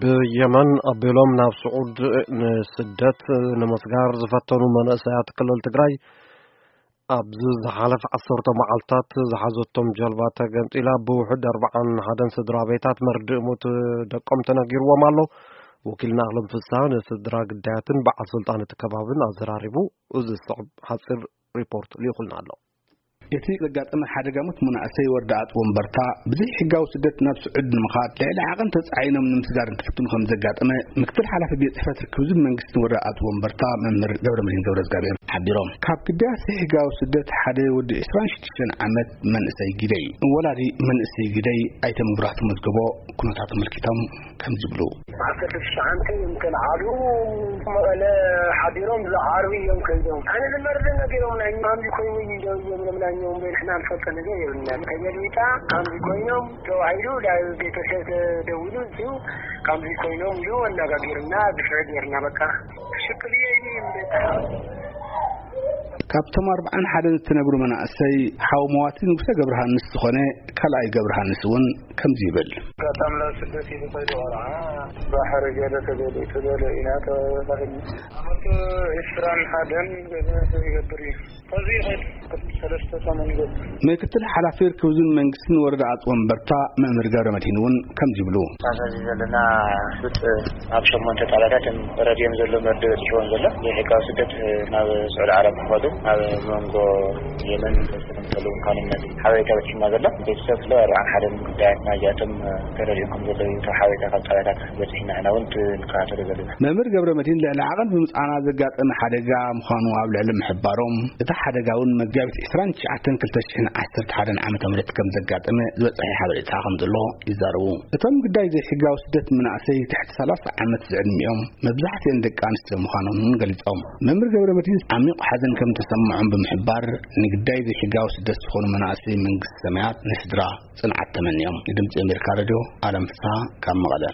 ብየመን ኣቢሎም ናብ ስዑድ ንስደት ንምስጋር ዝፈተኑ መናእሰያት ክልል ትግራይ፣ ኣብዚ ዝሓለፈ ዓሰርተ መዓልታት ዝሓዘቶም ጀልባ ተገምጢላ፣ ብውሕድ ኣርባዓን ሓደን ስድራ ቤታት መርድእ ሞት ደቆም ተነጊርዎም ኣሎ። ወኪልና ኣለም ፍስሃ ንስድራ ግዳያትን በዓል ስልጣን እቲ ከባብን ኣዘራሪቡ፣ እዚ ዝስዕብ ሓፂር ሪፖርት ልኢኹልና ኣሎ። እቲ ዘጋጠመ ሓደጋ ሞት መናእሰይ ወረዳ ኣጽወንበርታ ብዘይ ሕጋዊ ስደት ናብ ስዑድ ንምኻድ ልዕሊ ዓቐን ተጻዒኖም ንምስጋር እንትፍትኑ ከም ዘጋጠመ ምክትል ሓላፊ ቤት ጽሕፈት ርክብ ህዝቢ መንግስትን ወረዳ ኣጽወንበርታ መምህር ገብረመድህን ገብረእግዚኣብሔር ሓቢሮም። ካብ ግዳያት ዘይሕጋዊ ስደት ሓደ ወዲ ዕስራን ሽዱሽተን ዓመት መንእሰይ ግደይ፣ ወላዲ መንእሰይ ግደይ ኣይተ መብራህቱ መዝገቦ ኩነታት ኣመልኪቶም ከምዚ ይብሉ። ዓሰርተ ትሽዓተ እዮም ከልዓሉ፣ መቐለ ሓዲሮም ዝዓርቢ እዮም ከይዶም። ኣነ ዝመርድ ነጊሮም ናይ ማምቢ ኮይኑ እዩ ደው እዮም ኢሎም ናይ እዮም በይ ንሕና ንፈልጦ ነገር የብልናን። ተገልቢጣ ከምዚ ኮይኖም ተባሂሉ ናብ ቤተሰብ ተደውሉ እዚሁ ከምዚ ኮይኖም ኢሉ ኣነጋጊሩና ድፍዕ ጌርና በቃ። ሽክል እየ ኢሉ ይምለጥ። ካብቶም ኣርባዓን ሓደን ዝተነብሩ መናእሰይ ሓው መዋቲ ንጉሰ ገብረሃንስ ዝኾነ ካልኣይ ገብረሃንስ እውን ከምዚ ይብል። ኣጋጣሚ ናብ ስደት እዩ ዝኸይዱ ቆልዓ ባሕሪ ገለ ተገሊጹ ገለ ኢና ተባሂልና። ዓመቱ ዕስራን ሓደን ገለ ይገብር እዩ። ከዚ ይኸይድ ሰለስተ ሰሙን ይገብር። ምክትል ሓላፊ ርክብ ህዝብን መንግስትን ወረዳ ኣጽወንበርታ መምህር ገብረ መድሂን እውን ከምዚ ይብሉ። ኣብዚ ዘለና ብጥ ኣብ ሸሞንተ ጣብያታት ረድዮም ዘሎ መርድእ በፂሕዎም ዘሎ ዘይሕጋዊ ስደት ናብ ስዑዲ ዓረብ ክኸዱ ኣብ መንጎ የመን ዝመሰሉ ምዃኖም ነዚ ሓበሬታ በፂሕና ዘሎ። ቤተሰብ ስለ ኣርባዓን ሓደን ጉዳያት ናይዚኣቶም ተረዲኦም ከም ዘለዉ እዩ ካብ ሓበሬታ ካብ ጣብያታት በፂሕና ኢና እውን ንከታተሎ ዘለና። መምህር ገብረ መድሂን ልዕሊ ዓቐን ብምፅዓና ዘጋጠመ ሓደጋ ምዃኑ ኣብ ልዕሊ ምሕባሮም፣ እቲ ሓደጋ እውን መጋቢት ዕስራን ትሽዓተን ክልተ ሽሕን ዓሰርተ ሓደን ዓመተ ምህረት ከም ዘጋጠመ ዝበፅሐ ሓበሬታ ከም ዘሎ ይዛረቡ። እቶም ግዳይ ዘይሕጋዊ ስደት መናእሰይ ትሕቲ ሰላሳ ዓመት ዝዕድሚኦም መብዛሕትኦም ደቂ ኣንስትዮ ምዃኖም እውን ገሊጾም። መምህር ገብረ መድሂን ዓሚቕ ሓዘን ከም ተሰምዖም ብምሕባር፣ ንግዳይ ዘይሕጋዊ ስደት ዝኾኑ መናእሰይ መንግስቲ ሰማያት ንስድራ ጽንዓት ተመንዮም። ንድምጺ ኣሜሪካ ሬድዮ ኣለም ፍስሃ ካብ መቐለ።